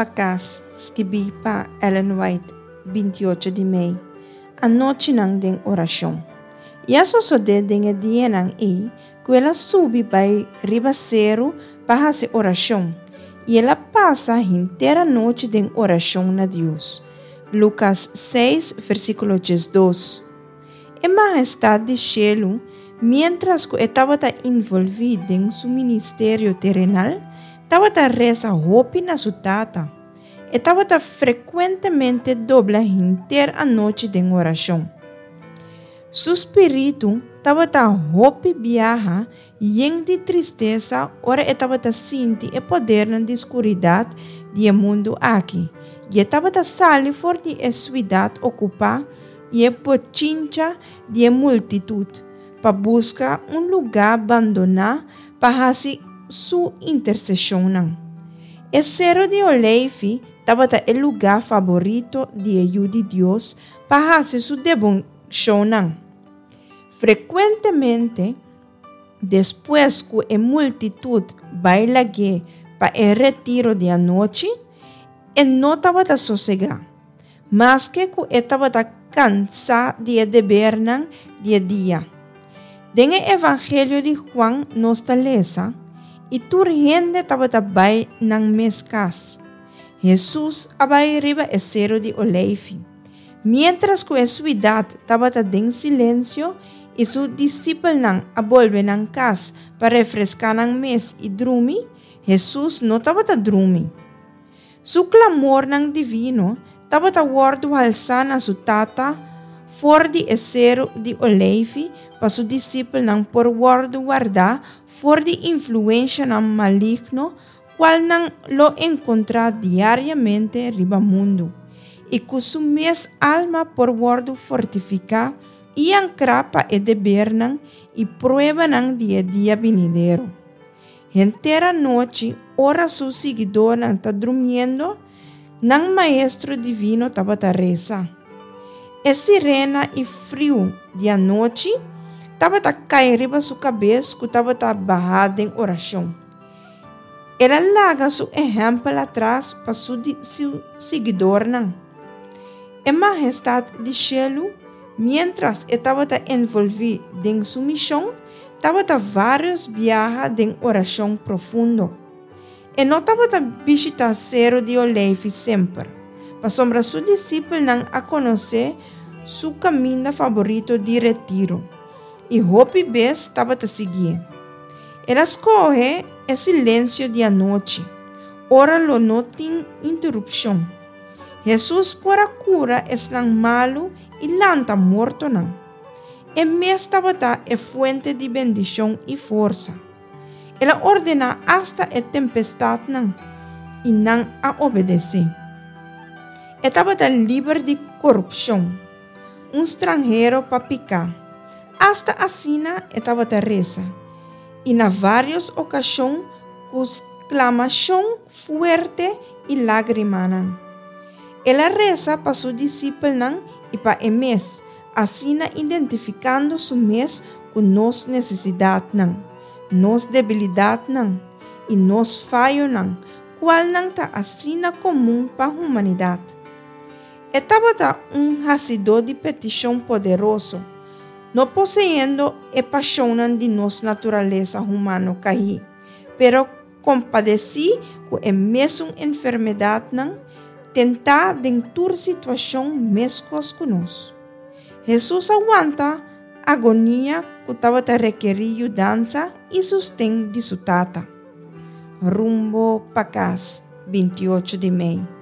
pa kas, skibí pa Ellen White, 28 di mei, Anochinan den orashon. I a sosodé den e dianan ei ku el a subi bai riba seru pa hasi orashon, i el a pasa henter anochi den orashon na Dios. Lukas 6, versíkulo 12. E Mahestat di shelu, miéntras ku e tabata involví den su ministerio terenal, tabata resa hopi na su Tata. E tabata frekuentemente dobla henter anochi den orashon. Su spiritu tabata hopi biaha yen di tristesa ora e tabata sinti e podernan di skuridat di e mundu aki, i e tabata sali for di e suidat okupá i e bochincha di e multitut pa buska un lugá bandoná pa hasi su interseshonnan. E Sero di Oleifi tabata e lugá faborito di e Yu di Dios pa hasi su deboshonnan. Frekuentemente, despues ku e multitut bai lag'é pa e retiro di anochi, e no tabata sosegá, maske ku e tabata kansá di e debernan di e dia. Den e Evangelio di Juan nos ta lesa, I tur hende tabata bai nan mes kas. Hesus a bai riba e Seru di Oleifi. Miéntras ku e suidat tabata den silensio i su disipelnan a bolbe nan kas pa refreská nan mes i drumi, Hesus no tabata drumi. Su klamornan divino tabata wòrdu halsá na su Tata for di e Seru di Oleifi pa su disipelnan por wòrdu wardá for di influenshanan maligno kualnan lo enkontrá diariamente riba mundu, i ku su mes alma por wòrdu fortifiká i ankrá pa e debernan i pruebanan di e dia binidero. Henter anochi, ora su siguidónan ta drumiendo, nan Maestro Divino tabata resa. E sirena i friu di anochi tabata kai riba su kabes ku tabata bahá den orashon. El a laga su ehèmpel atras pa su siguidornan. E Mahestat di shelu, miéntras e tabata envolví den su mishon, tabata vários biaha den orashon profundo. E no tabata bishitá Seru di Oleifi semper, pasobra su disipelnan a konosé su kaminda faborito di retiro, i hopi bes tabata siguié. El a skohe e silensio di anochi, ora lo no tin interupshon. Hesus por a kura esnan malu i lanta mortonan. E mes tabata e fuente di bendishon i forsa. El a ordená asta e tempestatnan, i nan a obedesé. E tabata liber di korupshon, un stranhero pa piká. Asta asina e tabata resa, i na vários okashon ku sklamashon fuerte i lágrimanan. El a resa pa su disipelnan i pa e mes, asina identifikando su mes ku nos nesesidatnan, nos debilidatnan, i nos fayonan, kualnan ta asina komun pa humanidat. E tabata un hasidó di petishon poderoso, no poseyendo e pashonnan di nos naturalesa humano kaí, pero kompadesí ku e mesun enfermedatnan, tentá den tur situashon meskos ku nos. Hesus a wanta agonia ku tabata rekerí yudansa i sosten di su Tata. Rumbo pa kas, 28 di mei.